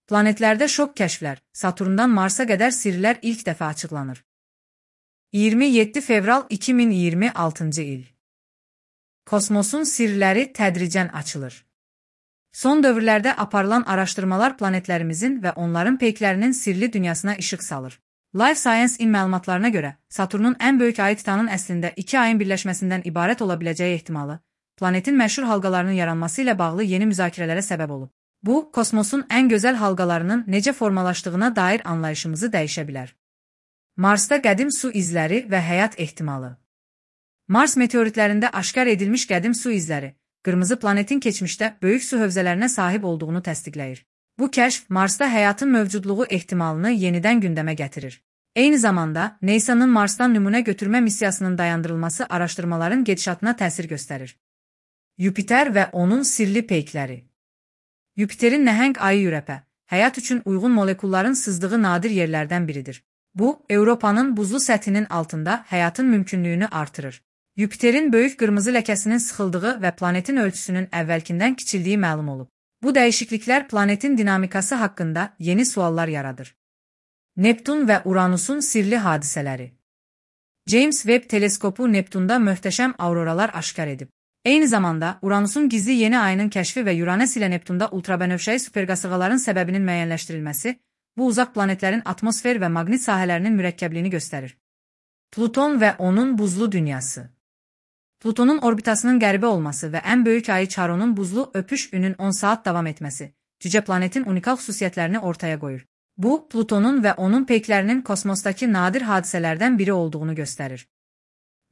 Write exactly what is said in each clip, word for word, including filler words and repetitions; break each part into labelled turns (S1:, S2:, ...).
S1: Planetlərdə şok kəşflər, Saturndan Marsa qədər sirlər ilk dəfə açıqlanır. iyirmi yeddi fevral iki min iyirmi altıncı il. Kosmosun sirləri tədricən açılır. Son dövrlərdə aparılan araşdırmalar planetlərimizin və onların peyklərinin sirli dünyasına işıq salır. Life Science-in məlumatlarına görə, Saturnun ən böyük ayı Titanın əslində iki ayın birləşməsindən ibarət ola biləcəyi ehtimalı, planetin məşhur halqalarının yaranması ilə bağlı yeni müzakirələrə səbəb olub. Bu, kosmosun ən gözəl halqalarının necə formalaşdığına dair anlayışımızı dəyişə bilər. Marsda qədim su izləri və həyat ehtimalı. Mars meteoritlərində aşkar edilmiş qədim su izləri, qırmızı planetin keçmişdə böyük su hövzələrinə sahib olduğunu təsdiqləyir. Bu kəşf Marsda həyatın mövcudluğu ehtimalını yenidən gündəmə gətirir. Eyni zamanda, NASA'nın Marsdan nümunə götürmə missiyasının dayandırılması araşdırmaların gedişatına təsir göstərir. Yupiter və onun sirli peykləri. Yupiterin nəhəng ayı Ürəpə, həyat üçün uyğun molekulların sızdığı nadir yerlərdən biridir. Bu, Avropanın buzlu səthinin altında həyatın mümkünlüyünü artırır. Yupiterin böyük qırmızı ləkəsinin sıxıldığı və planetin ölçüsünün əvvəlkindən kiçildiyi məlum olub. Bu dəyişikliklər planetin dinamikası haqqında yeni suallar yaradır. Neptun və Uranusun sirli hadisələri. James Webb teleskopu Neptunda möhtəşəm auroralar aşkar edib. Eyni zamanda, Uranusun gizli yeni ayının kəşfi və Uranüs ilə Neptunda ultrabənövşəyi superqasırğaların səbəbinin müəyyənləşdirilməsi, bu uzaq planetlərin atmosfer və maqnit sahələrinin mürəkkəbliyini göstərir. Pluton və onun buzlu dünyası. Plutonun orbitasının qəribə olması və ən böyük ayı Charonun buzlu öpüş günün on saat davam etməsi, cücə planetin unikal xüsusiyyətlərini ortaya qoyur. Bu, Plutonun və onun peyklərinin kosmosdakı nadir hadisələrdən biri olduğunu göstərir.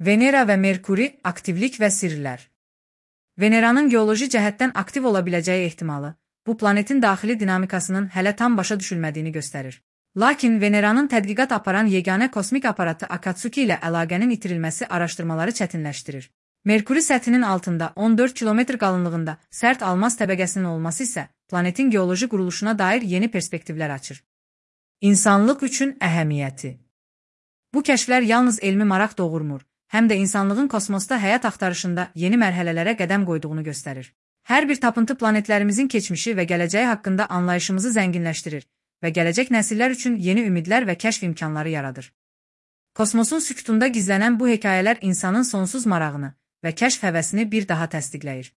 S1: Venera və Merkuri, aktivlik və sirlər. Veneranın geoloji cəhətdən aktiv ola biləcəyi ehtimalı, bu planetin daxili dinamikasının hələ tam başa düşülmədiyini göstərir. Lakin Veneranın tədqiqat aparan yeganə kosmik aparatı Akatsuki ilə əlaqənin itirilməsi araşdırmaları çətinləşdirir. Merkuri səthinin altında on dörd kilometr qalınlığında sərt almaz təbəqəsinin olması isə planetin geoloji quruluşuna dair yeni perspektivlər açır. İnsanlıq üçün əhəmiyyəti. Bu kəşflər yalnız elmi maraq doğurmur, həm də insanlığın kosmosda həyat axtarışında yeni mərhələlərə qədəm qoyduğunu göstərir. Hər bir tapıntı planetlərimizin keçmişi və gələcəyi haqqında anlayışımızı zənginləşdirir və gələcək nəsillər üçün yeni ümidlər və kəşf imkanları yaradır. Kosmosun sükutunda gizlənən bu hekayələr insanın sonsuz marağını və kəşf həvəsini bir daha təsdiqləyir.